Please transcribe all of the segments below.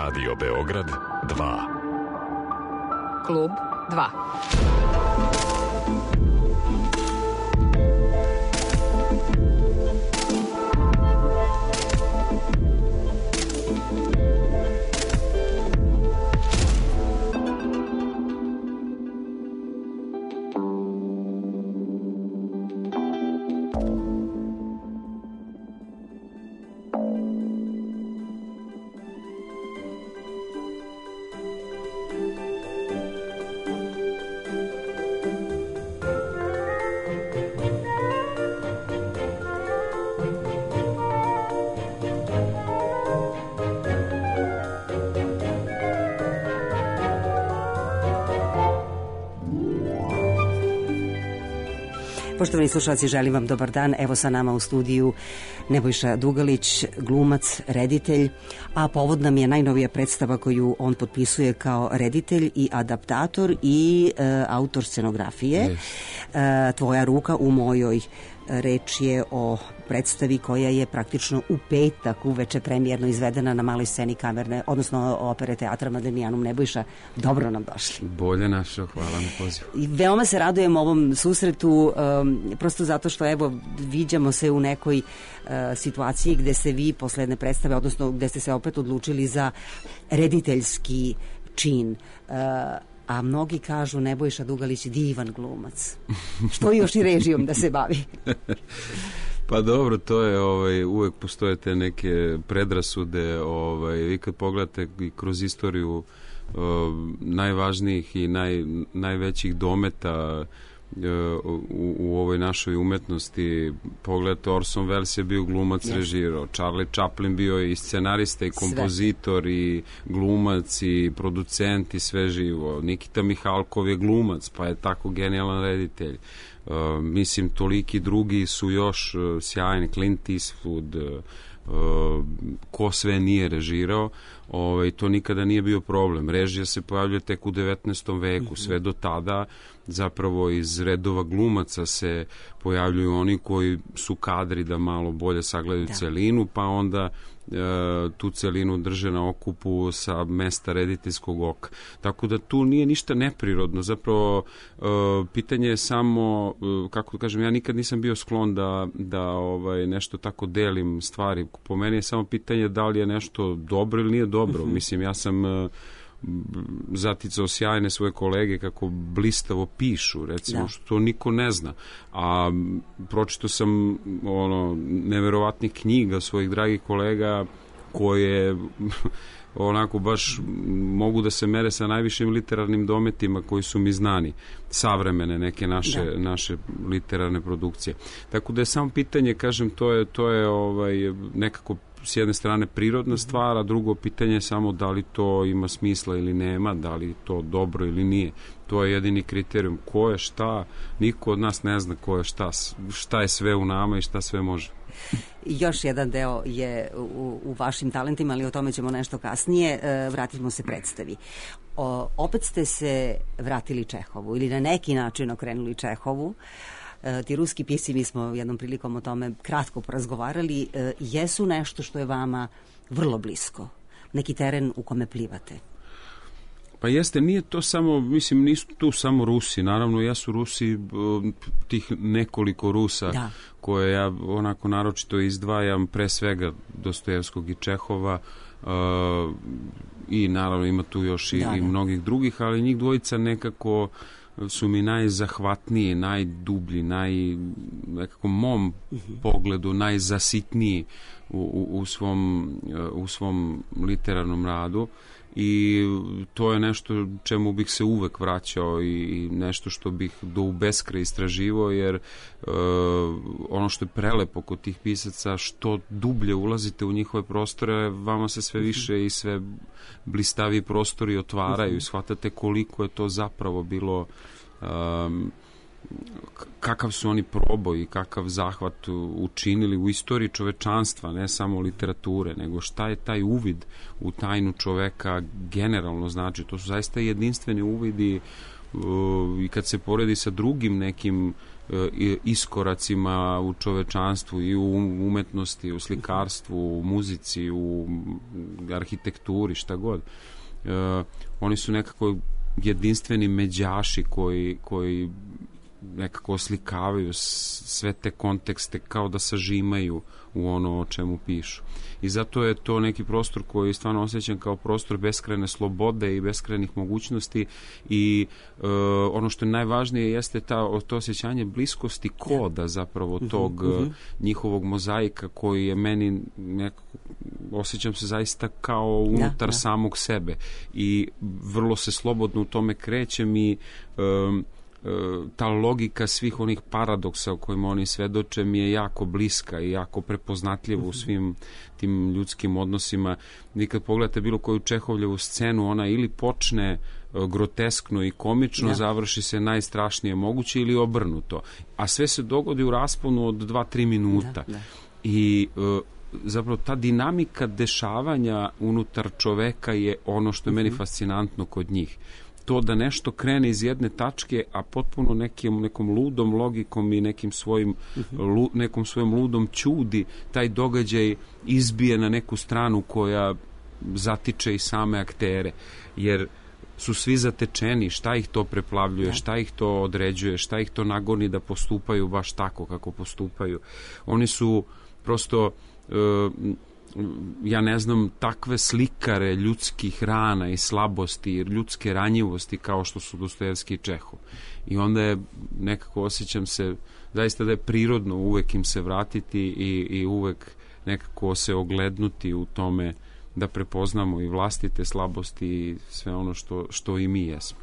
Radio Beograd 2. Klub 2. Poštovani slušalci, želim vam dobar dan. Evo sa nama u studiju Nebojša Dugalić, glumac, reditelj, a povod nam je najnovija predstava koju on potpisuje kao reditelj i adaptator i autor scenografije. Tvoja ruka u mojoj. Reč je o predstavi koja je praktično u petak uveče premijerno izvedena na maloj sceni kamerne, odnosno opere teatra Mademijanum. Nebojša, dobro nam došli. Bolje našo, hvala na pozivu. I veoma se radujem ovom susretu, prosto zato što evo viđamo se u nekoj situaciji gde se vi posle jedne predstave, odnosno gde ste se opet odlučili za rediteljski čin. A mnogi kažu Nebojša Dugalić divan glumac. Što još i režijom da se bavi? Pa dobro, to je uvek postoje te neke predrasude, vi kad pogledate i kroz istoriju najvažnijih i najvećih dometa u ovoj našoj umetnosti, pogledajte, Orson Welles je bio glumac, režirao, Charlie Chaplin bio i scenarista i kompozitor i glumac i producent i sve živo. Nikita Mihalkov je glumac, pa je tako genijalan reditelj. Mislim, toliki drugi su još sjajni, Clint Eastwood, ko sve nije režirao, to nikada nije bio problem. Režija se pojavljuje tek u 19. veku, sve do tada zapravo iz redova glumaca se pojavljuju oni koji su kadri da malo bolje sagledaju celinu, pa onda tu celinu drže na okupu sa mesta rediteljskog oka. Tako da tu nije ništa neprirodno. Zapravo pitanje je samo, kako da kažem, ja nikad nisam bio sklon da nešto tako delim stvari. Po meni je samo pitanje da li je nešto dobro ili nije dobro. Mislim, ja sam zaticao sjajne svoje kolege kako blistavo pišu, recimo, što niko ne zna. A pročitao sam neverovatnih knjiga svojih dragih kolega koje onako baš mogu da se mere sa najvišim literarnim dometima koji su mi znani, savremene neke naše literarne produkcije. Tako da je samo pitanje, kažem, to je nekako s jedne strane prirodna stvar, a drugo pitanje je samo da li to ima smisla ili nema, da li to dobro ili nije. To je jedini kriterijum. Ko je šta, niko od nas ne zna ko je šta je sve u nama i šta sve može. Još jedan deo je u vašim talentima, ali o tome ćemo nešto kasnije. Vratimo se predstavi. Opet ste se vratili Čehovu ili na neki način okrenuli Čehovu. Ti ruski pisci, mi smo jednom prilikom o tome kratko porazgovarali, jesu nešto što je vama vrlo blisko, neki teren u kome plivate. Pa jeste, nije to samo, mislim, nisu tu samo Rusi, naravno jesu Rusi, tih nekoliko Rusa koje ja onako naročito izdvajam, pre svega Dostojevskog i Čehova, i naravno ima tu još i mnogih drugih, ali njih dvojica nekako su mi najzahvatniji, najdublji, nekako mom pogledu najzasitniji u svom literarnom radu, i to je nešto čemu bih se uvek vraćao i nešto što bih do u beskraj istraživao, jer ono što je prelepo kod tih pisaca, što dublje ulazite u njihove prostore, vama se sve više i sve blistaviji prostori otvaraju i shvatate koliko je to zapravo bilo, kakav su oni proboj i kakav zahvat učinili u istoriji čovečanstva, ne samo literature, nego šta je taj uvid u tajnu čoveka generalno znači. To su zaista jedinstveni uvidi i kad se poredi sa drugim nekim iskoracima u čovečanstvu i u umetnosti, u slikarstvu, u muzici, u arhitekturi, šta god. Oni su nekako jedinstveni međaši koji nekako oslikavaju sve te kontekste kao da sažimaju u ono o čemu pišu. I zato je to neki prostor koji stvarno osjećam kao prostor beskrajne slobode i beskrajnih mogućnosti i ono što je najvažnije jeste to osjećanje bliskosti koda zapravo tog njihovog mozaika koji je meni osjećam se zaista kao unutar samog sebe i vrlo se slobodno u tome krećem i ta logika svih onih paradoksa o kojima oni svedoče mi je jako bliska i jako prepoznatljiva u svim tim ljudskim odnosima. Vi kad pogledate bilo koju Čehovljevu scenu, ona ili počne groteskno i komično, završi se najstrašnije moguće ili obrnuto. A sve se dogodi u rasponu od 2-3 minuta. I zapravo ta dinamika dešavanja unutar čoveka je ono što je meni fascinantno kod njih. To da nešto krene iz jedne tačke, a potpuno nekom ludom logikom i nekom svojom ludom ćudi taj događaj izbije na neku stranu koja zatiče i same aktere. Jer su svi zatečeni, šta ih to preplavljuje, šta ih to određuje, šta ih to nagoni da postupaju baš tako kako postupaju. Oni su prosto ja ne znam, takve slikare ljudskih rana i slabosti, ljudske ranjivosti kao što su Dostojevski i Čehov. I onda je nekako osjećam se zaista da je prirodno uvek im se vratiti i uvek nekako se oglednuti u tome da prepoznamo i vlastite slabosti i sve ono što i mi jesmo.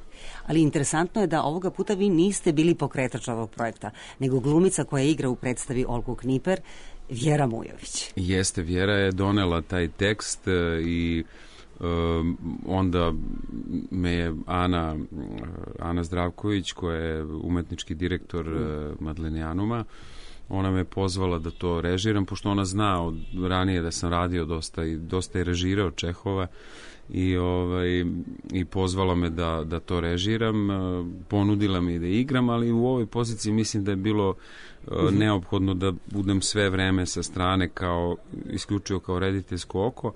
Ali interesantno je da ovoga puta vi niste bili pokretač ovog projekta, nego glumica koja igra u predstavi Olgu Kniper, Vjera Mujović. Jeste, Vjera je donela taj tekst i onda me je Ana Zdravković, koja je umetnički direktor Madlenijanuma, ona me pozvala da to režiram, pošto ona zna od ranije da sam radio dosta je režirao Čehova i pozvala me da to režiram, ponudila mi da igram, ali u ovoj poziciji mislim da je bilo neophodno da budem sve vreme sa strane isključivo kao rediteljsko oko.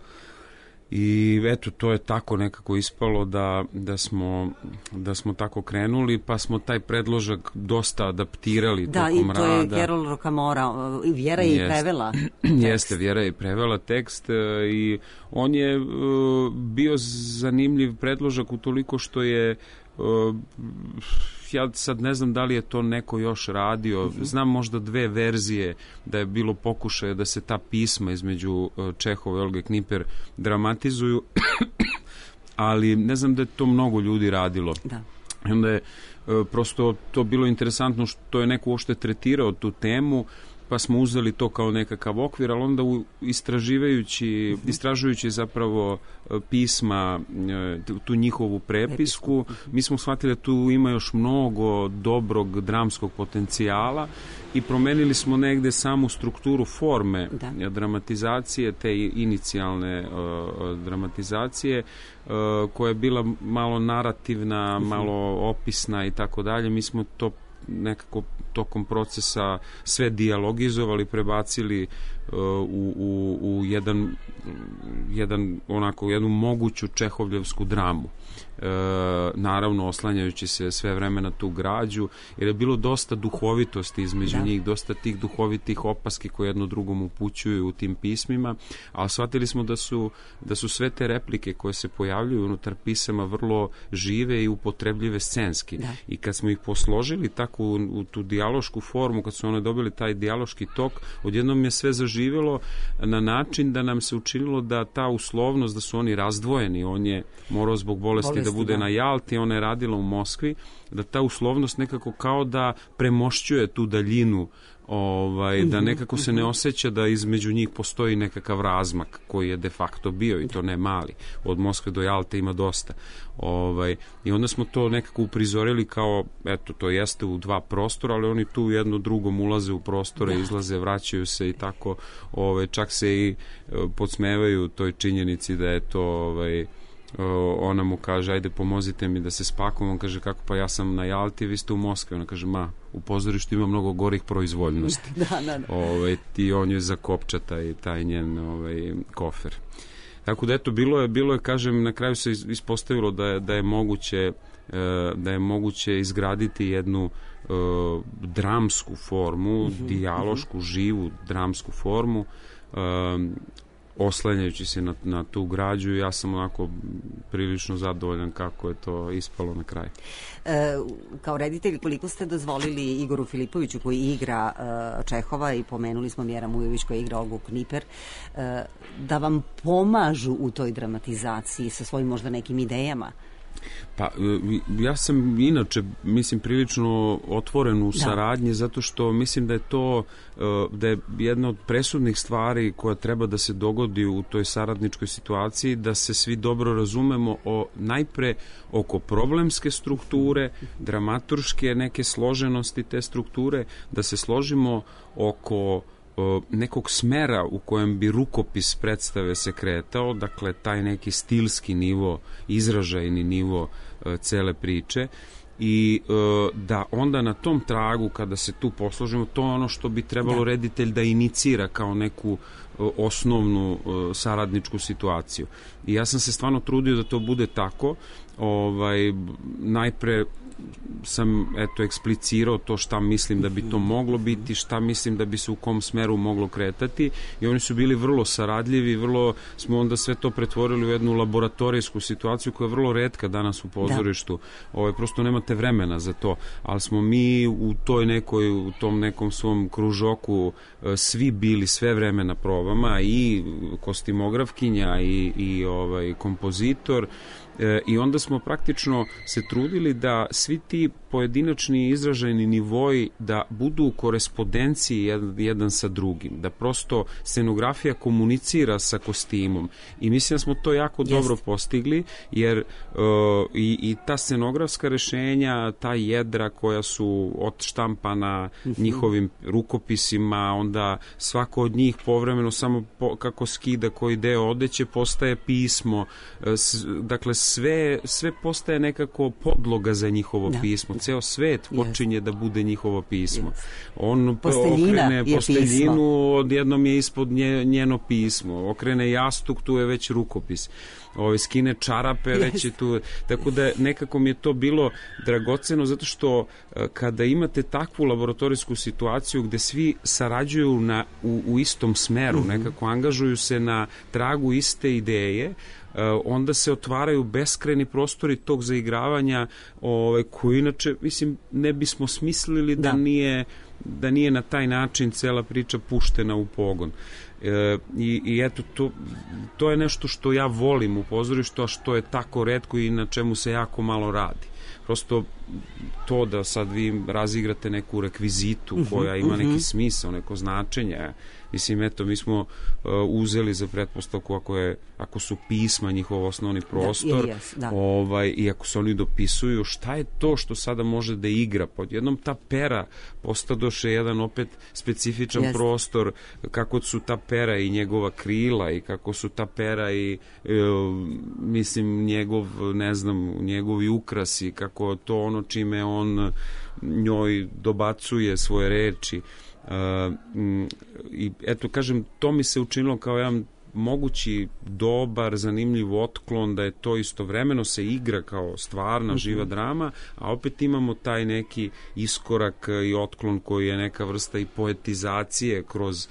I eto, to je tako nekako ispalo da smo tako krenuli, pa smo taj predložak dosta adaptirali tokom rada. Da, i to je Carol Rocamora, Vjera je i prevela tekst. Jeste, Vjera je i prevela tekst i on je bio zanimljiv predložak utoliko što je ja sad ne znam da li je to neko još radio, znam možda 2 verzije da je bilo pokušaje da se ta pisma između Čehova i Olge Kniper dramatizuju, ali ne znam da je to mnogo ljudi radilo. Da. I onda je prosto to bilo interesantno što je neko uopšte tretirao tu temu, pa smo uzeli to kao nekakav okvir, ali onda istražujući zapravo pisma, tu njihovu prepisku, mi smo shvatili da tu ima još mnogo dobrog dramskog potencijala i promenili smo negde samu strukturu forme dramatizacije, te inicijalne dramatizacije, koja je bila malo narativna, malo opisna i tako dalje. Mi smo to nekako tokom procesa sve dijalogizovali, prebacili u jednu moguću čehovljevsku dramu. Naravno oslanjajući se sve vreme na tu građu, jer je bilo dosta duhovitosti između njih, dosta tih duhovitih opaski koje jedno drugom upućuju u tim pismima, ali shvatili smo da su sve te replike koje se pojavljuju unutar pisama vrlo žive i upotrebljive scenski. I kad smo ih posložili tako u tu dijalošku formu, kad su one dobili taj dijaloški tok, odjednom je sve zaživjelo na način da nam se učinilo da ta uslovnost, da su oni razdvojeni, on je morao zbog bolesti da bude na Jalti, ona je radila u Moskvi, da ta uslovnost nekako kao da premošćuje tu daljinu, da nekako se ne osjeća da između njih postoji nekakav razmak koji je de facto bio i to ne mali. Od Moskve do Jalte ima dosta. I onda smo to nekako uprizorili kao, eto, to jeste u 2 prostora, ali oni tu jedno drugom ulaze u prostore, izlaze, vraćaju se i tako, čak se i podsmevaju toj činjenici da je to ona mu kaže, ajde pomozite mi da se spakujem, on kaže, kako, pa ja sam na Jalti, vi ste u Moskvi, ona kaže, u pozorištu ima mnogo gorih proizvoljnosti. Da. I on je zakopča taj njen kofer. Tako da eto, bilo je, kažem, na kraju se ispostavilo da je moguće izgraditi jednu dramsku formu, dijalošku, živu dramsku formu, oslanjajući se na tu građu. Ja sam onako prilično zadovoljan kako je to ispalo na kraju. Kao reditelj, koliko ste dozvolili Igoru Filipoviću, koji igra Čehova, i pomenuli smo Mjera Mujović koja igra Olgu Kniper, da vam pomažu u toj dramatizaciji sa svojim možda nekim idejama? Pa, ja sam inače, mislim, prilično otvoren u saradnji, zato što mislim da je jedna od presudnih stvari koja treba da se dogodi u toj saradničkoj situaciji, da se svi dobro razumemo najpre oko problemske strukture, dramaturške neke složenosti te strukture, da se složimo oko nekog smera u kojem bi rukopis predstave se kretao, dakle taj neki stilski nivo, izražajni nivo cele priče, i da onda na tom tragu, kada se tu posložimo, to je ono što bi trebalo reditelj da inicira kao neku osnovnu saradničku situaciju. I ja sam se stvarno trudio da to bude tako. Najpre sam eksplicirao to šta mislim da bi to moglo biti, šta mislim da bi se u kom smeru moglo kretati, i oni su bili vrlo saradljivi, vrlo smo onda sve to pretvorili u jednu laboratorijsku situaciju koja je vrlo retka danas u pozorištu. Prosto nemate vremena za to, ali smo mi u tom nekom svom kružoku svi bili sve vreme na probama, i kostimografkinja i kompozitor. I onda smo praktično se trudili da svi ti pojedinačni izražajni nivoji da budu u korespondenciji jedan sa drugim, da prosto scenografija komunicira sa kostimom, i mislim da smo to jako dobro postigli, jer i ta scenografska rešenja, ta jedra koja su odštampana njihovim rukopisima, onda svako od njih povremeno samo kako skida koji deo odeće postaje pismo, dakle sve postaje nekako podloga za njihovo pismo. Ceo svet počinje da bude njihovo pismo. On okrene posteljinu, odjednom je ispod njeno pismo. Okrene jastuk, tu je već rukopis. Skine čarape, već je tu. Tako da nekako mi je to bilo dragoceno, zato što kada imate takvu laboratorijsku situaciju gde svi sarađuju u istom smeru, nekako angažuju se na tragu iste ideje, onda se otvaraju beskrajni prostori tog zaigravanja, koji inače, mislim, ne bismo smislili da nije na taj način cela priča puštena u pogon. I eto, to je nešto što ja volim u pozorištu, a što je tako retko i na čemu se jako malo radi. Prosto to da sad vi razigrate neku rekvizitu koja ima neki smisao, neko značenje. Mislim, eto, mi smo uzeli za pretpostavku ako su pisma njihov osnovni prostor, i ako se oni dopisuju, šta je to što sada može da igra? Pod jednom ta pera postadoše jedan opet specifičan prostor, kako su ta pera i njegova krila, i kako su ta pera i mislim njegovi ukrasi, kako to ono čime on njoj dobacuje svoje reči. I eto, kažem, to mi se učinilo kao jedan mogući, dobar, zanimljiv otklon, da je to istovremeno se igra kao stvarna, živa drama, a opet imamo taj neki iskorak i otklon koji je neka vrsta i poetizacije kroz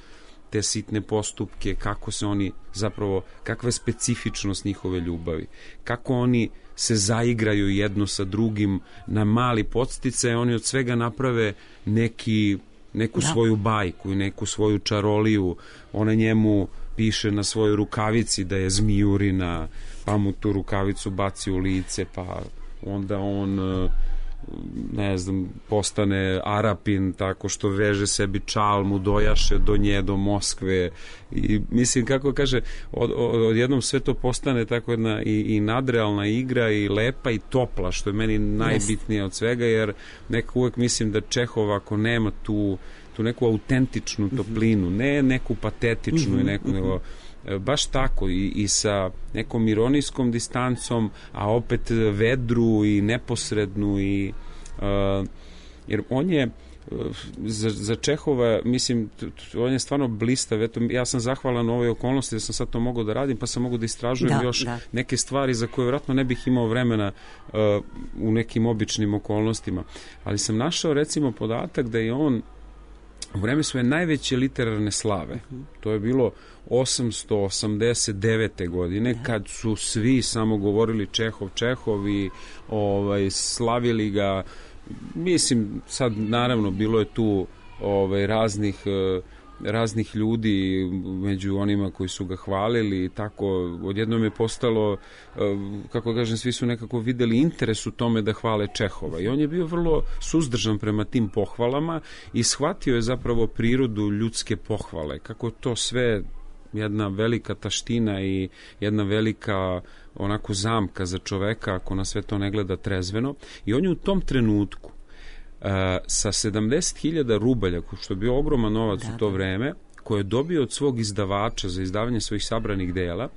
te sitne postupke, kako se oni zapravo, kakva je specifičnost njihove ljubavi, kako oni se zaigraju jedno sa drugim na mali podsticaj, oni od svega naprave neku svoju bajku i neku svoju čaroliju. Ona njemu piše na svojoj rukavici da je zmijurina, pa mu tu rukavicu baci u lice, pa onda on postane Arapin tako što veže sebi čalmu, dojaše do nje, do Moskve, i mislim, kako kaže, odjednom sve to postane tako jedna i nadrealna igra, i lepa i topla, što je meni najbitnije od svega, jer nekako uvek mislim da Čehov, ako nema tu neku autentičnu toplinu, ne neku patetičnu i neku, nego baš tako i sa nekom ironijskom distancom, a opet vedru i neposrednu jer on je za Čehova, mislim, on je stvarno blistav. Eto, ja sam zahvalan u ovoj okolnosti da sam sad to mogao da radim, pa sam mogao da istražujem neke stvari za koje vjerojatno ne bih imao vremena u nekim običnim okolnostima. Ali sam našao, recimo, podatak da je on u vreme svoje najveće literarne slave, to je bilo 889. godine, kad su svi samo govorili Čehov i slavili ga. Mislim, sad naravno bilo je tu raznih ljudi među onima koji su ga hvalili i tako, odjednom je postalo, kako kažem, svi su nekako videli interes u tome da hvale Čehova i on je bio vrlo suzdržan prema tim pohvalama i shvatio je zapravo prirodu ljudske pohvale, kako to sve jedna velika taština i jedna velika onako zamka za čoveka ako na sve to ne gleda trezveno. I on je u tom trenutku sa 70.000 rubalja, što je bio ogroman novac u to vreme, koje je dobio od svog izdavača za izdavanje svojih sabranih dela,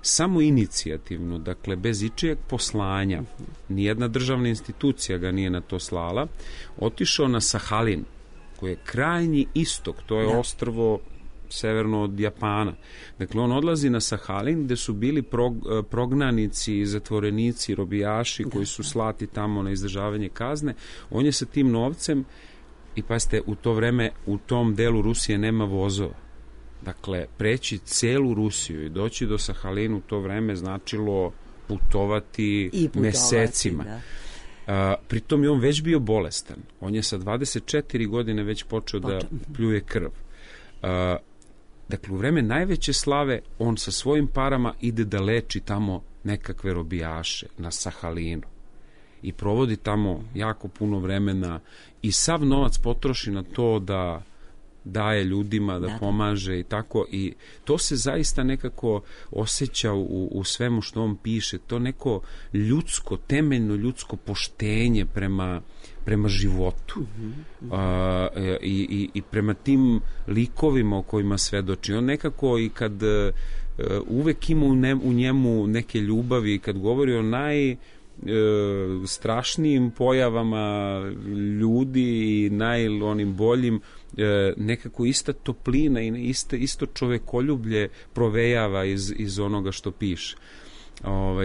samo inicijativno, dakle bez ičijeg poslanja, nijedna državna institucija ga nije na to slala, otišao na Sahalin, koji je krajnji istok, to je ostrvo severno od Japana. Dakle, on odlazi na Sahalin gde su bili prognanici, zatvorenici, robijaši koji su slati tamo na izdržavanje kazne. On je sa tim novcem, i pazite, u to vreme u tom delu Rusije nema vozova. Dakle, preći celu Rusiju i doći do Sahalina u to vreme značilo putovati mesecima. Pritom je on već bio bolestan. On je sa 24 godine već počeo da pljuje krv. Dakle, u vreme najveće slave on sa svojim parama ide da leči tamo nekakve robijaše na Sahalinu i provodi tamo jako puno vremena i sav novac potroši na to da daje ljudima, da pomaže i tako, i to se zaista nekako osjeća u svemu što on piše, to neko ljudsko, temeljno ljudsko poštenje prema životu i prema tim likovima o kojima svedoči. On nekako i kad uvek ima u njemu neke ljubavi, kad govori o najstrašnijim pojavama ljudi i onim boljim, nekako ista toplina i isto čovekoljublje provejava iz onoga što piše.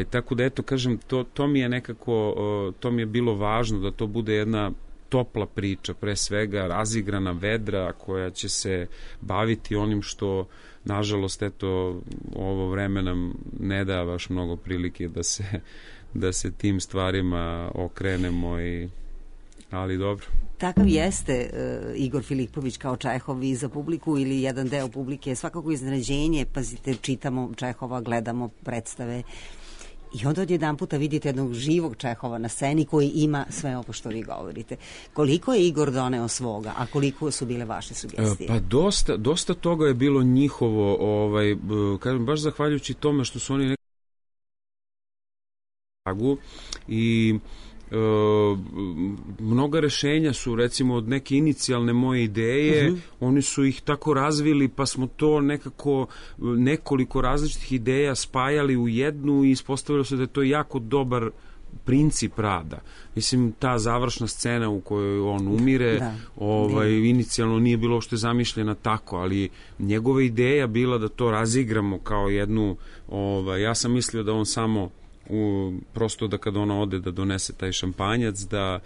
Tako da, eto, kažem, to mi je nekako, to mi je bilo važno da to bude jedna topla priča, pre svega razigrana, vedra, koja će se baviti onim što, nažalost, eto, ovo vreme nam ne da baš mnogo prilike da se tim stvarima okrenemo, ali dobro. Takav jeste Igor Filipović kao Čehov i za publiku ili jedan deo publike, svakako iznenađenje. Pazite, čitamo Čehova, gledamo predstave i onda odjedan puta vidite jednog živog Čehova na sceni koji ima sve ovo što vi govorite. Koliko je Igor doneo svoga, a koliko su bile vaše sugestije? Pa dosta toga je bilo njihovo, kažem, baš zahvaljujući tome što su oni i mnoga rešenja su, recimo, od neke inicijalne moje ideje, oni su ih tako razvili, pa smo to nekako nekoliko različitih ideja spajali u jednu i ispostavilo se da je to jako dobar princip rada. Mislim, ta završna scena u kojoj on umire, inicijalno nije bilo uopšte zamišljena tako, ali njegova ideja bila da to razigramo kao jednu, ja sam mislio da on samo prosto da kad ona ode da donese taj šampanjac, da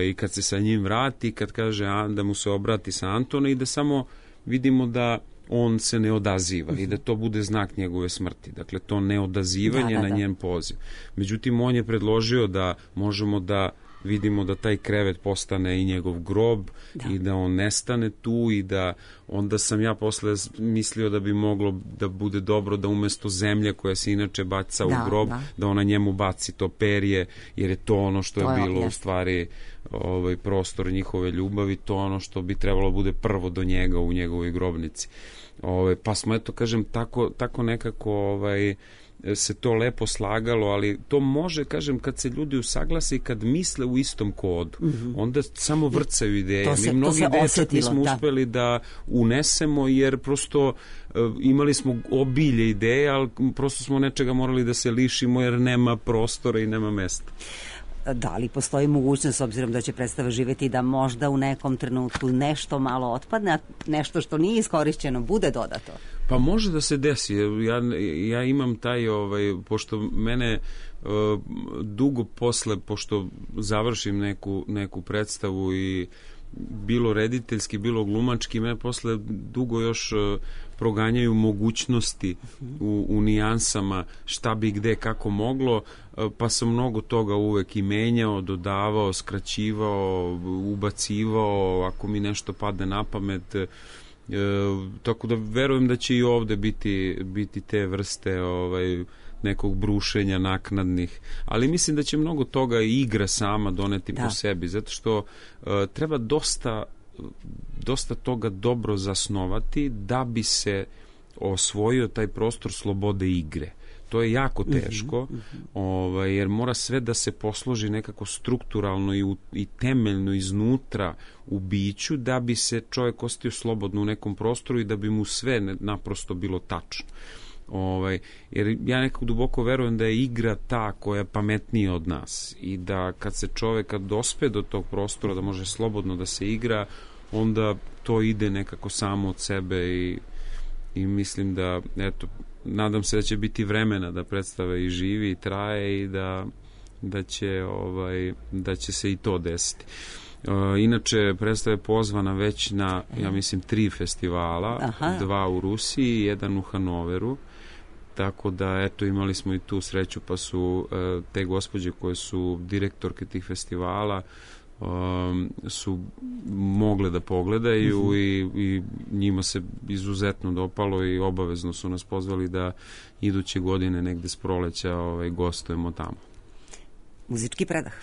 i kad se sa njim vrati, kad kaže da mu se obrati sa Antona i da samo vidimo da on se ne odaziva i da to bude znak njegove smrti. Dakle, to neodazivanje na njen poziv. Međutim, on je predložio da možemo da vidimo da taj krevet postane i njegov grob i da on nestane tu i da onda sam ja posle mislio da bi moglo da bude dobro da umesto zemlje koja se inače baca u grob, da ona njemu baci to perje, jer je to ono što je bilo u stvari prostor njihove ljubavi, to ono što bi trebalo bude prvo do njega u njegovoj grobnici. Pa smo, eto, kažem, tako nekako se to lepo slagalo, ali to može, kažem, kad se ljudi usaglase i kad misle u istom kodu, onda samo vrcaju ideje. Mi mnogi ideje čak nismo uspeli da unesemo, jer prosto imali smo obilje ideje, ali prosto smo nečega morali da se lišimo, jer nema prostora i nema mesta. Da li postoji mogućnost, s obzirom da će predstava živeti, da možda u nekom trenutku nešto malo otpadne, a nešto što nije iskorišćeno bude dodato? Pa može da se desi. Ja imam taj, pošto mene dugo posle, pošto završim neku predstavu i bilo rediteljski, bilo glumački, me posle dugo još proganjaju mogućnosti u nijansama šta bi gde kako moglo, pa sam mnogo toga uvek i menjao, dodavao, skraćivao, ubacivao, ako mi nešto padne na pamet. Tako da verujem da će i ovde biti te vrste nekog brušenja naknadnih, ali mislim da će mnogo toga igra sama doneti po sebi, zato što treba dosta toga dobro zasnovati da bi se osvojio taj prostor slobode igre. To je jako teško, jer mora sve da se posloži nekako strukturalno i temeljno iznutra u biću, da bi se čovjek ostio slobodno u nekom prostoru i da bi mu sve naprosto bilo tačno. Jer ja nekako duboko verujem da je igra ta koja je pametnija od nas i da kad se čovjek dospe do tog prostora da može slobodno da se igra, onda to ide nekako samo od sebe i mislim da, eto, nadam se da će biti vremena da predstava i živi i traje i da će se i to desiti. Inače, predstava je pozvana već na, ja mislim, 3 festivala, 2 u Rusiji, 1 u Hanoveru, tako da, eto, imali smo i tu sreću, pa su te gospođe koje su direktorke tih festivala su mogle da pogledaju i njima se izuzetno dopalo i obavezno su nas pozvali da iduće godine negde s proleća gostujemo tamo. Muzički predah.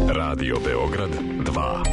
Radio Beograd 2.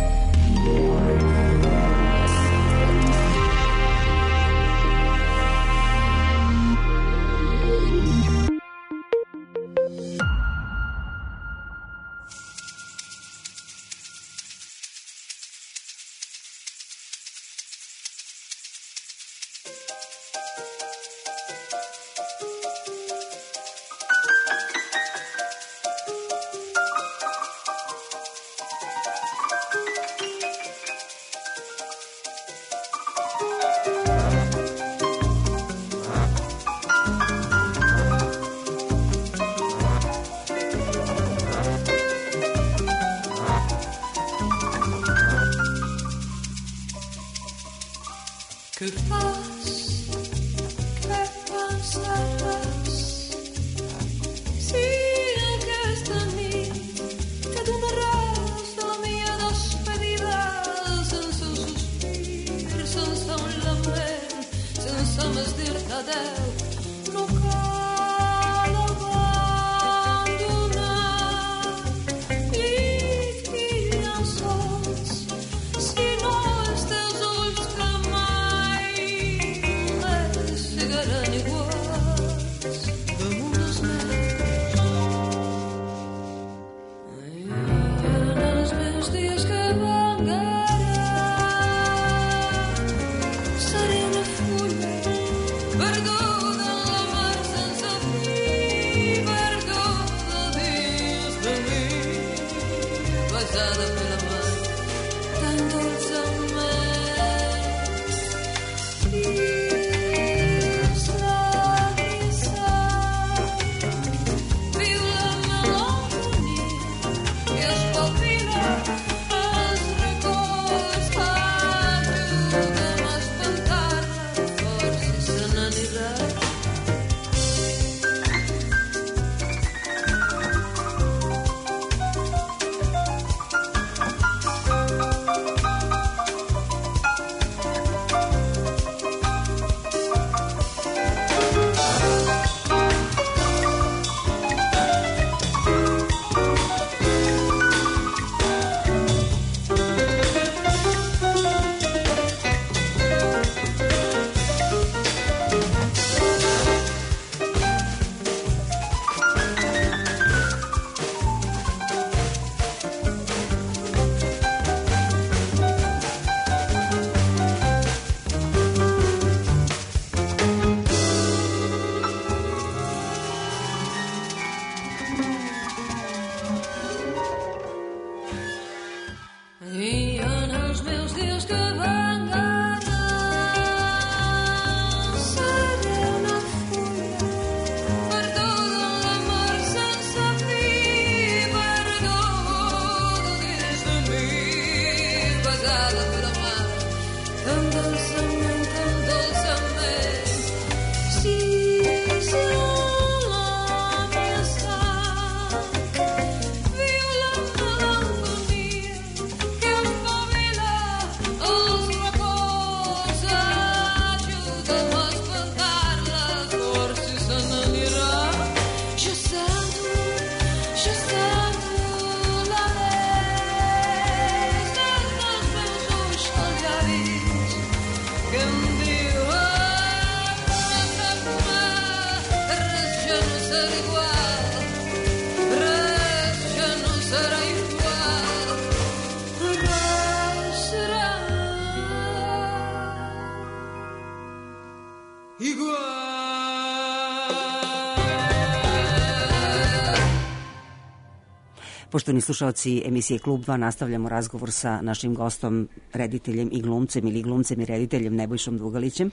Poštovani slušalci emisije Klub 2, nastavljamo razgovor sa našim gostom, rediteljem i glumcem ili glumcem i rediteljem Nebojšom Dugalićem.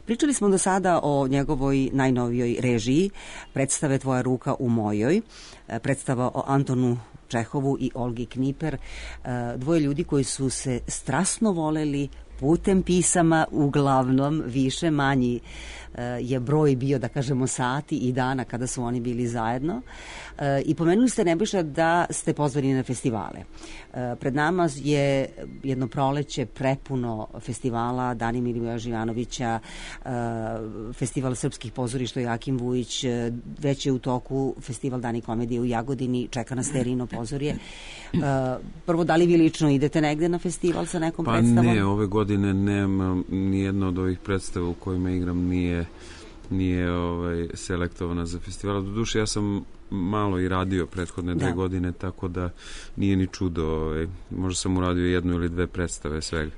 Pričali smo do sada o njegovoj najnovijoj režiji, predstave Tvoja ruka u mojoj, predstava o Antonu Čehovu i Olgi Kniper, dvoje ljudi koji su se strasno voleli putem pisama, uglavnom više manji je broj bio, da kažemo, sati i dana kada su oni bili zajedno. I pomenuli ste, Nebojša, da ste pozvani na festivale. Pred nama je jedno proleće prepuno festivala, Dani Milivoja Živanovića, festival srpskih pozorišta Joakim Vujić, već je u toku festival Dani komedije u Jagodini, čeka nas Terino pozorje. Prvo, da li vi lično idete negde na festival sa nekom predstavom? Pa ne, ove godine nema nijedno od ovih predstava u kojima igram nije selektovana za festival. Doduše, ja sam malo i radio prethodne 2 godine, tako da nije ni čudo. Možda sam uradio 1 ili 2 predstave svega.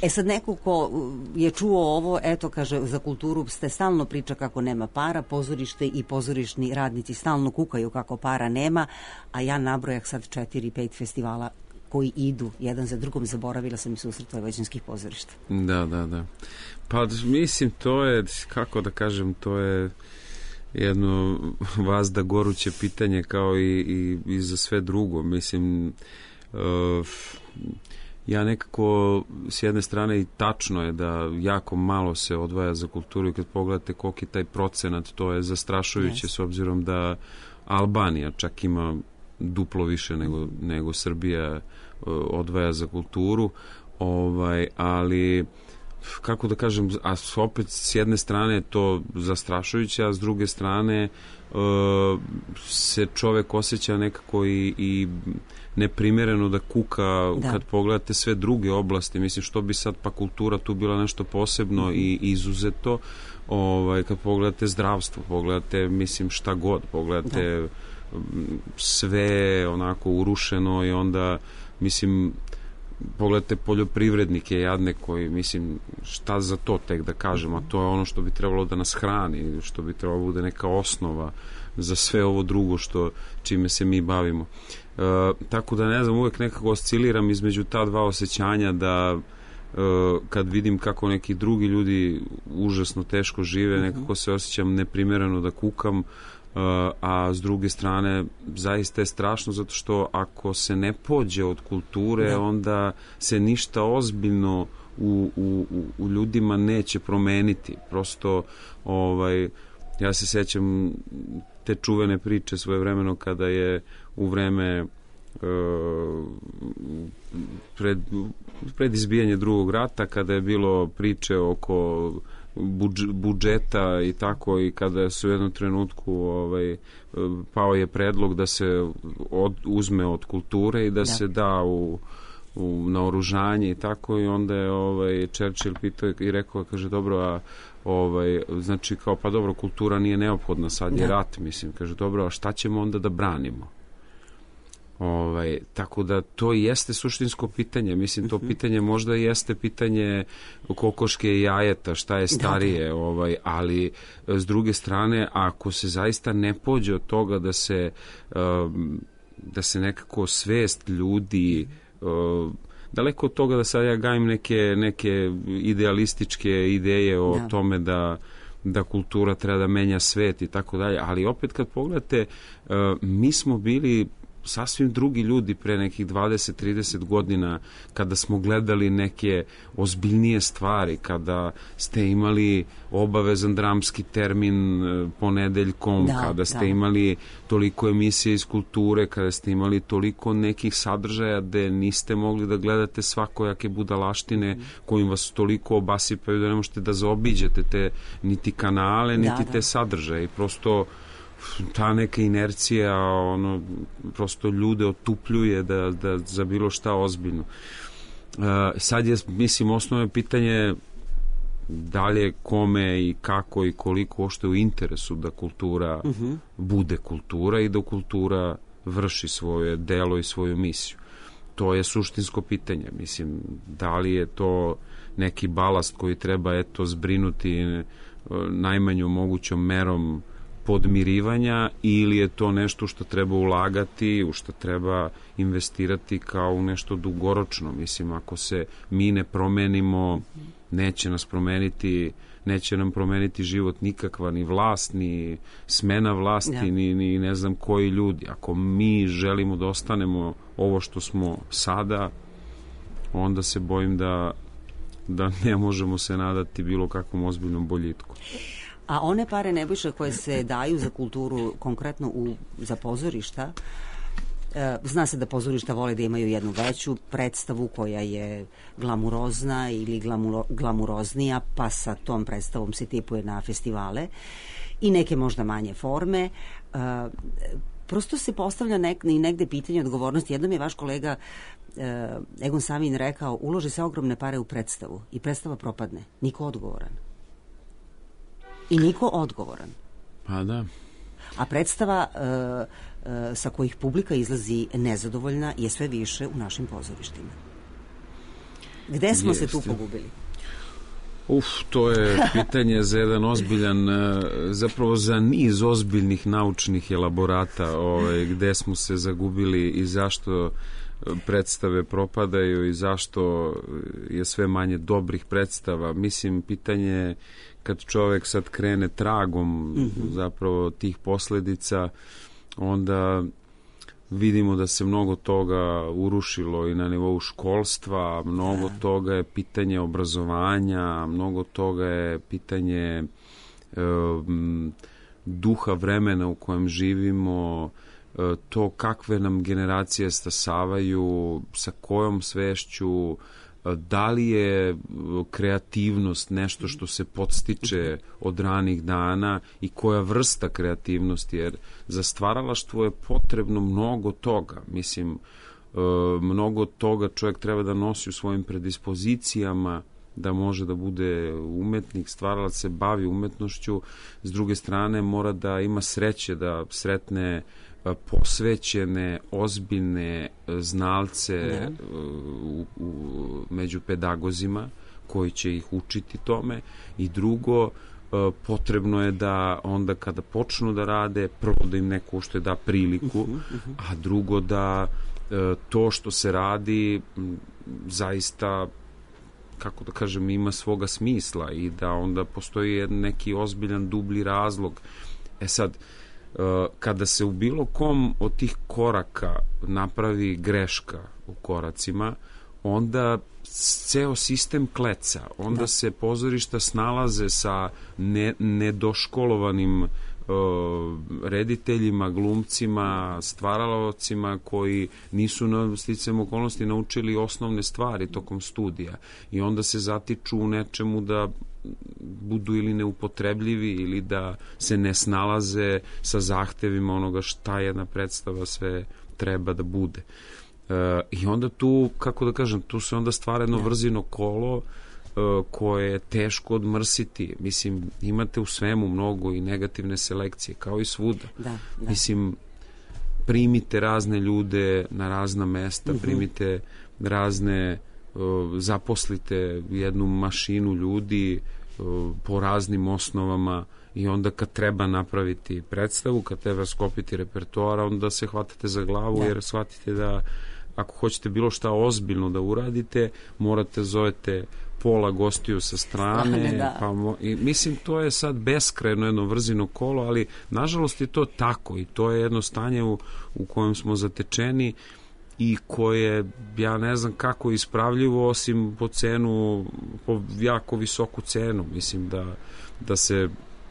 Sad neko ko je čuo ovo, eto, kaže, za kulturu ste stalno priča kako nema para, pozorište i pozorišni radnici stalno kukaju kako para nema, a ja nabrojah sad 4-5 festivala koji idu jedan za drugom, zaboravila sam i susret vojvođanskih pozorišta. Da. Pa mislim, to je, kako da kažem, to je jedno vazda goruće pitanje kao i za sve drugo. Mislim, ja nekako s jedne strane i tačno je da jako malo se odvaja za kulturu i kad pogledate koliki je taj procenat, to je zastrašujuće s obzirom da Albanija čak ima duplo više nego Srbija odvaja za kulturu, ali kako da kažem, a opet s jedne strane je to zastrašujuće, a s druge strane se čovek osjeća nekako i neprimjereno da kuka kad pogledate sve druge oblasti. Mislim, što bi sad pa kultura tu bila nešto posebno i izuzeto, kad pogledate zdravstvo, pogledate, mislim, šta god, pogledate sve onako urušeno i onda, mislim, pogledajte poljoprivrednike jadne koji, mislim, šta za to tek da kažem, a to je ono što bi trebalo da nas hrani, što bi trebalo bude neka osnova za sve ovo drugo čime se mi bavimo. Tako da ne znam, uvek nekako osciliram između ta dva osjećanja da kad vidim kako neki drugi ljudi užasno teško žive, nekako se osjećam neprimjereno da kukam, a s druge strane zaista je strašno zato što ako se ne pođe od kulture, onda se ništa ozbiljno u ljudima neće promeniti. Prosto ja se sećam te čuvene priče svojevremeno kada je u vreme pred izbijanje Drugog rata, kada je bilo priče oko budžeta i tako, i kada su u jednom trenutku pao je predlog da se uzme od kulture i da se da u naoružanje i tako, i onda je Churchill pitao i rekao, kaže, dobro, a znači kao, pa dobro, kultura nije neophodna, sad je rat, mislim, kaže, dobro, a šta ćemo onda da branimo? Tako da to jeste suštinsko pitanje, mislim, to pitanje možda jeste pitanje kokoške i jajeta, šta je starije, ali s druge strane, ako se zaista ne pođe od toga da se nekako svest ljudi, daleko od toga da sad ja gajim neke idealističke ideje o tome da kultura treba da menja svet i tako dalje, ali opet kad pogledate, mi smo bili sasvim drugi ljudi pre nekih 20-30 godina kada smo gledali neke ozbiljnije stvari, kada ste imali obavezan dramski termin ponedeljkom, kada ste imali toliko emisije iz kulture, kada ste imali toliko nekih sadržaja gde niste mogli da gledate svakojake budalaštine kojim vas toliko obasipaju da ne možete da zaobiđete te niti kanale, niti te sadržaje, i prosto ta neka inercija prosto ljude otupljuje da za bilo šta ozbiljno. Sad je, mislim, osnovno pitanje da li je kome i kako i koliko ošte u interesu da kultura bude kultura i da kultura vrši svoje delo i svoju misiju. To je suštinsko pitanje. Mislim, da li je to neki balast koji treba zbrinuti najmanjom mogućom merom podmirivanja ili je to nešto što treba ulagati, u što treba investirati kao u nešto dugoročno. Mislim, ako se mi ne promenimo, neće nam promeniti život nikakva, ni vlast, ni smena vlasti, ni ne znam koji ljudi. Ako mi želimo da ostanemo ovo što smo sada, onda se bojim da ne možemo se nadati bilo kakvom ozbiljnom boljitku. A one pare, Nebojša, koje se daju za kulturu, konkretno za pozorišta, zna se da pozorišta vole da imaju jednu veću predstavu koja je glamurozna ili glamuroznija, pa sa tom predstavom se tipuje na festivale i neke možda manje forme. Prosto se postavlja i negde pitanje odgovornosti. Jednom je vaš kolega Egon Samin rekao, ulože se ogromne pare u predstavu i predstava propadne. Niko odgovoran. I niko odgovoran. Pa da. A predstava sa kojih publika izlazi nezadovoljna je sve više u našim pozorištima. Gde smo se tu pogubili? To je pitanje za jedan ozbiljan, zapravo za niz ozbiljnih naučnih elaborata, gde smo se zagubili i zašto predstave propadaju i zašto je sve manje dobrih predstava. Mislim, pitanje kad čovek sad krene tragom zapravo tih posledica, onda vidimo da se mnogo toga urušilo i na nivou školstva, mnogo toga je pitanje obrazovanja, mnogo toga je pitanje duha vremena u kojem živimo, to kakve nam generacije stasavaju, sa kojom svešću, da li je kreativnost nešto što se podstiče od ranih dana i koja vrsta kreativnosti, jer za stvaralaštvo je potrebno mnogo toga. Mislim, mnogo toga čovjek treba da nosi u svojim predispozicijama, da može da bude umetnik, stvaralac, se bavi umetnošću. S druge strane, mora da ima sreće da sretne posvećene, ozbiljne znalce među pedagozima koji će ih učiti tome. I drugo, potrebno je da onda kada počnu da rade, prvo da im neko što je da priliku, a drugo da to što se radi zaista, kako da kažem, ima svoga smisla i da onda postoji neki ozbiljan dublji razlog. Sad, kada se u bilo kom od tih koraka napravi greška u koracima, onda ceo sistem kleca, onda se pozorišta snalaze sa nedoškolovanim rediteljima, glumcima, stvaralaocima koji nisu na sticajem okolnosti naučili osnovne stvari tokom studija i onda se zatiču u nečemu da budu ili neupotrebljivi ili da se ne snalaze sa zahtevima onoga šta jedna predstava sve treba da bude. I onda tu, kako da kažem, tu se onda stvara jedno vrzino kolo koje je teško odmrsiti. Mislim, imate u svemu mnogo i negativne selekcije, kao i svuda. Mislim, primite razne ljude na razna mesta, primite razne, zaposlite jednu mašinu ljudi po raznim osnovama i onda kad treba napraviti predstavu, kad treba skopiti repertoara, onda se hvatate za glavu jer shvatite da ako hoćete bilo šta ozbiljno da uradite, morate zovete pola gostiju sa strane. I mislim, to je sad beskrajno jedno vrzino kolo, ali nažalost je to tako i to je jedno stanje u kojem smo zatečeni i koje, ja ne znam kako ispravljivo, osim po jako visoku cenu. Mislim da se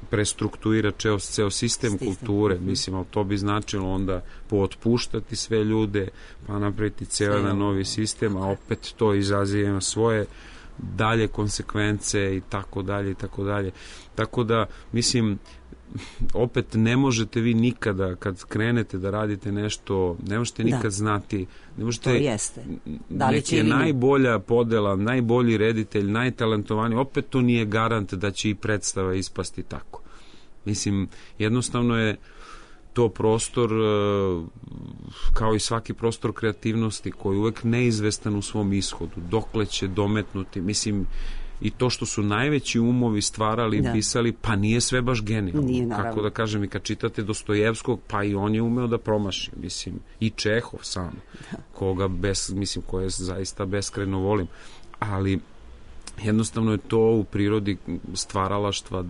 prestruktuira ceo sistem kulture, mislim, ali to bi značilo onda pootpuštati sve ljude, pa napraviti ceo jedan novi sistem, a opet to izaziva svoje dalje konsekvence i tako dalje i tako dalje. Tako da, mislim, opet ne možete vi nikada, kad krenete da radite nešto, ne možete nikad znati, ne možete, neki je najbolja podela, najbolji reditelj, najtalentovaniji, opet to nije garant da će i predstava ispasti tako. Mislim, jednostavno je to prostor, kao i svaki prostor kreativnosti, koji je uvek neizvestan u svom ishodu, dokle će dometnuti. Mislim, i to što su najveći umovi stvarali, pisali, pa nije sve baš genijalno. Kako da kažem, i kad čitate Dostojevskog, pa i on je umeo da promaši, mislim, i Čehov sam, koga koje zaista beskrajno volim, ali jednostavno je to u prirodi stvaralaštva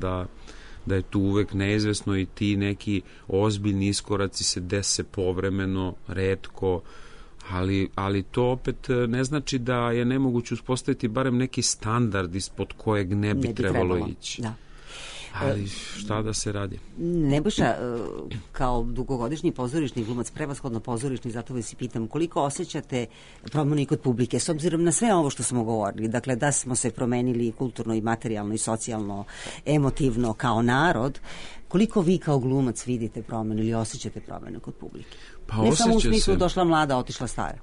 da je tu uvek neizvesno i ti neki ozbiljni iskoraci se dese povremeno, retko, ali to opet ne znači da je nemoguće uspostaviti barem neki standard ispod kojeg ne bi trebalo ići. Da. Ali šta da se radi? Nebojša, kao dugogodišnji pozorišni glumac, prevashodno pozorišni, zato vas i pitam, koliko osjećate promenu i kod publike, s obzirom na sve ovo što smo govorili, dakle da smo se promenili kulturno i materijalno i socijalno, emotivno kao narod, koliko vi kao glumac vidite promenu ili osjećate promenu kod publike? Pa ne samo u smislu došla mlada, otišla stara.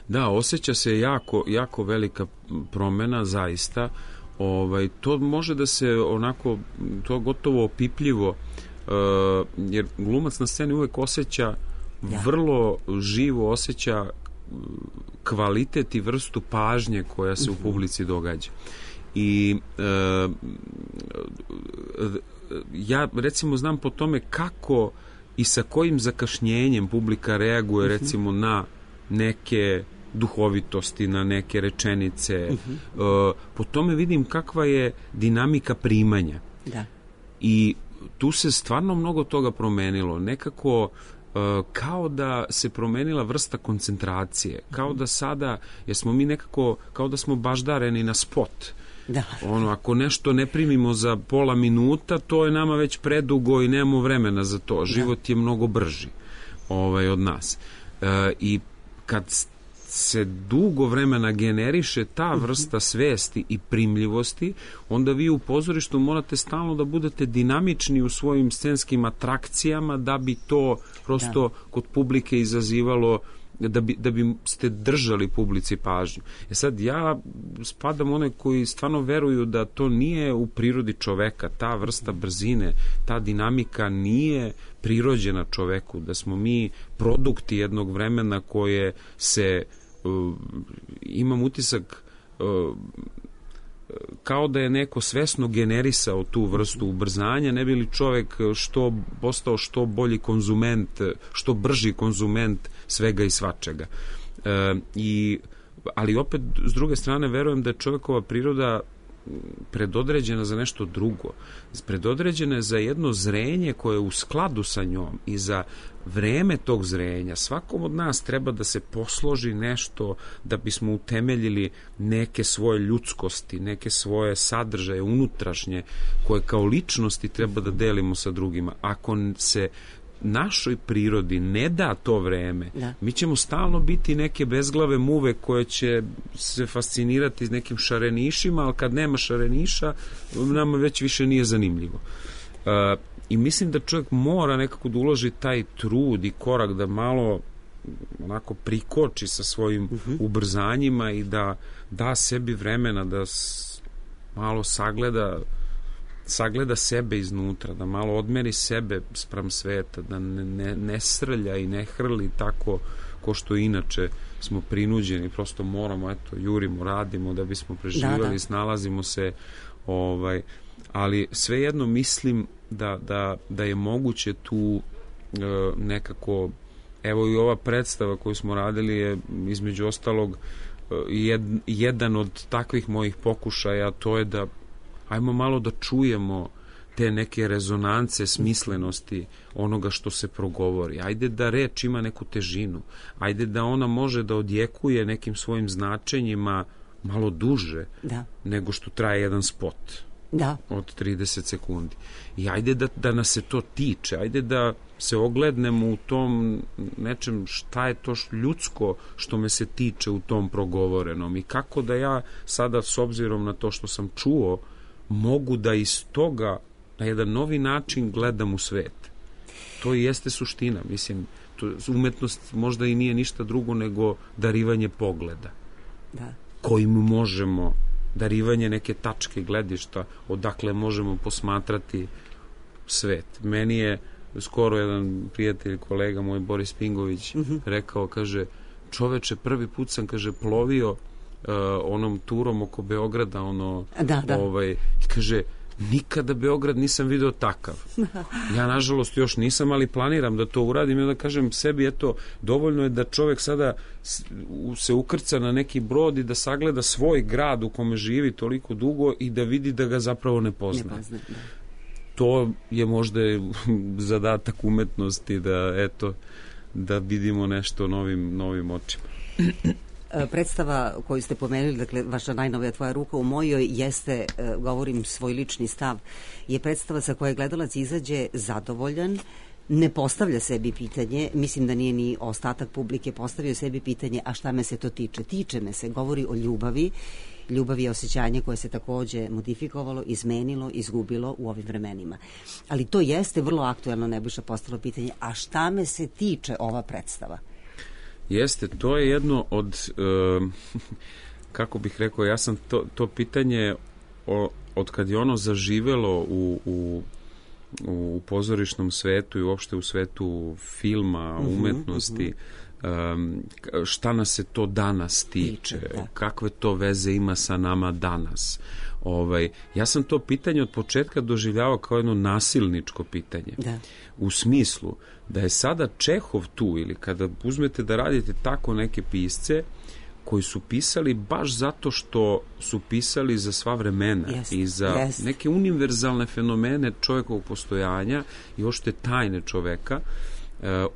Da, osjeća se jako velika promena, zaista. To može da se onako, to gotovo opipljivo, jer glumac na sceni uvek osjeća, vrlo živo osjeća kvalitet i vrstu pažnje koja se u publici događa. I ja recimo znam po tome kako i sa kojim zakašnjenjem publika reaguje recimo na neke duhovitosti, na neke rečenice. Po tome vidim kakva je dinamika primanja. Da. I tu se stvarno mnogo toga promenilo. Nekako kao da se promenila vrsta koncentracije. Kao da sada, jer smo mi nekako, kao da smo baždareni na spot. Da. Ako nešto ne primimo za pola minuta, to je nama već predugo i nemamo vremena za to. Život je mnogo brži od nas. I kad se dugo vremena generiše ta vrsta svesti i primljivosti, onda vi u pozorištu morate stalno da budete dinamični u svojim scenskim atrakcijama da bi to prosto kod publike izazivalo, da bi ste držali publici pažnju. Sad ja spadam one koji stvarno veruju da to nije u prirodi čoveka, ta vrsta brzine, ta dinamika nije prirođena čoveku, da smo mi produkti jednog vremena koje se imam utisak kao da je neko svesno generisao tu vrstu ubrzanja, ne bi li čovek postao što bolji konzument, što brži konzument svega i svačega. Ali opet, s druge strane, verujem da je čovekova priroda predodređena za nešto drugo. Predodređena je za jedno zrenje koje je u skladu sa njom i za vreme tog zrenja. Svakom od nas treba da se posloži nešto da bismo utemeljili neke svoje ljudskosti, neke svoje sadržaje unutrašnje koje kao ličnosti treba da delimo sa drugima. Ako se našoj prirodi ne da to vreme, mi ćemo stalno biti neke bezglave muve koje će se fascinirati s nekim šarenišima, ali kad nema šareniša, nama već više nije zanimljivo. I mislim da čovjek mora nekako da uloži taj trud i korak da malo onako prikoči sa svojim ubrzanjima i da da sebi vremena da malo sagleda sebe iznutra, da malo odmeri sebe spram sveta, da ne srlja i ne hrli tako ko što inače smo prinuđeni, prosto moramo, jurimo, radimo da bismo preživali, snalazimo se, ali svejedno mislim da je moguće tu nekako, evo i ova predstava koju smo radili je između ostalog jedan od takvih mojih pokušaja, to je da ajmo malo da čujemo te neke rezonance smislenosti onoga što se progovori. Ajde da reč ima neku težinu. Ajde da ona može da odjekuje nekim svojim značenjima malo duže nego što traje jedan spot od 30 sekundi. I ajde da nas se to tiče. Ajde da se oglednemo u tom nečem šta je to ljudsko što me se tiče u tom progovorenom i kako da ja sada s obzirom na to što sam čuo mogu da iz toga na jedan novi način gledam u svet. To i jeste suština. Mislim, umetnost možda i nije ništa drugo nego darivanje pogleda. Kojim možemo, darivanje neke tačke gledišta odakle možemo posmatrati svet. Meni je skoro jedan prijatelj, kolega moj, Boris Pingović, rekao, kaže, čoveče, prvi put sam, kaže, plovio onom turom oko Beograda, Da. I kaže, nikada Beograd nisam video takav. Ja, nažalost, još nisam, ali planiram da to uradim i onda kažem sebi, eto, dovoljno je da čovek sada se ukrca na neki brod i da sagleda svoj grad u kome živi toliko dugo i da vidi da ga zapravo ne poznaje. To je možda zadatak umetnosti da vidimo nešto novim očima. Predstava koju ste pomenuli, dakle, vaša najnovija Tvoja ruka u mojoj, jeste, govorim svoj lični stav, je predstava sa koje gledalac izađe zadovoljan, ne postavlja sebi pitanje, mislim da nije ni ostatak publike postavio sebi pitanje, a šta me se to tiče? Tiče me se, govori o ljubavi. Ljubav je osjećanje koje se takođe modifikovalo, izmenilo, izgubilo u ovim vremenima. Ali to jeste vrlo aktuelno, Nebojša, postalo pitanje, a šta me se tiče ova predstava? Jeste, to je jedno od, kako bih rekao, ja sam to pitanje od kad je ono zaživelo u pozorišnom svetu i uopšte u svetu filma, umetnosti, šta nas se to danas tiče, kakve to veze ima sa nama danas. Ja sam to pitanje od početka doživljavao kao jedno nasilničko pitanje. U smislu da je sada Čehov tu, ili kada uzmete da radite tako neke pisce koji su pisali baš zato što su pisali za sva vremena i za neke univerzalne fenomene čovjekovog postojanja i uopšte tajne čoveka,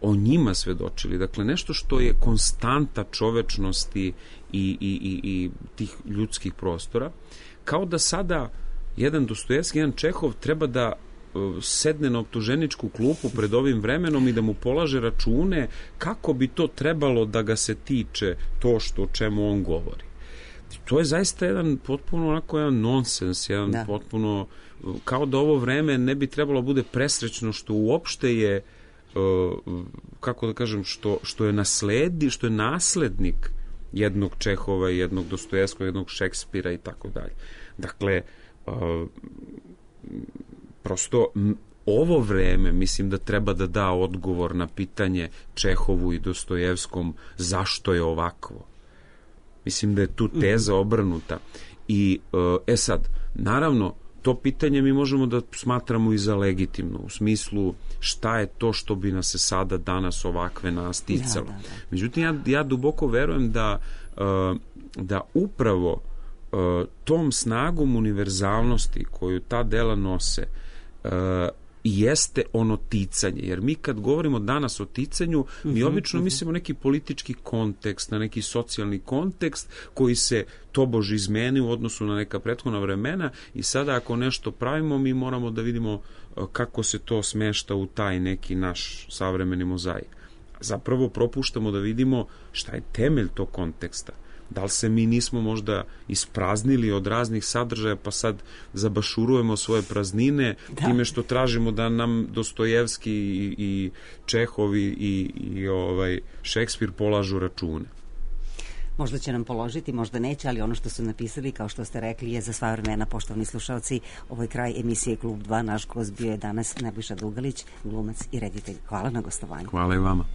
o njima svedočili. Dakle, nešto što je konstanta čovečnosti i tih ljudskih prostora, kao da sada jedan Dostojevski, jedan Čehov treba da sedne na optuženičku klupu pred ovim vremenom i da mu polaže račune kako bi to trebalo da ga se tiče to o čemu on govori. To je zaista jedan potpuno onako jedan nonsens, potpuno, kao da ovo vreme ne bi trebalo bude presrećno što uopšte je, kako da kažem, što je naslednik jednog Čehova, jednog Dostojevskog, jednog Šekspira i tako dalje. Dakle, prosto ovo vreme mislim da treba da da odgovor na pitanje Čehovu i Dostojevskom zašto je ovakvo. Mislim da je tu teza obrnuta. I sad, naravno, to pitanje mi možemo da smatramo i za legitimno, u smislu šta je to što bi nas se sada danas ovakve nas ticalo. Međutim, ja duboko verujem da upravo tom snagom univerzalnosti koju ta dela nose jeste ono ticanje, jer mi kad govorimo danas o ticanju, mi obično mislimo neki politički kontekst, na neki socijalni kontekst koji se tobož izmeni u odnosu na neka prethodna vremena i sada ako nešto pravimo, mi moramo da vidimo kako se to smešta u taj neki naš savremeni mozaik. Zapravo propuštamo da vidimo šta je temelj tog konteksta. Da li se mi nismo možda ispraznili od raznih sadržaja pa sad zabašurujemo svoje praznine time što tražimo da nam Dostojevski i Čehov i Šekspir polažu račune. Možda će nam položiti, možda neće, ali ono što su napisali, kao što ste rekli, je za sva vremena. Poštovani slušalci, ovo je kraj emisije Klub 2. Naš gost bio je danas Nebojša Dugalić, glumac i reditelj. Hvala na gostovanju. Hvala i vama.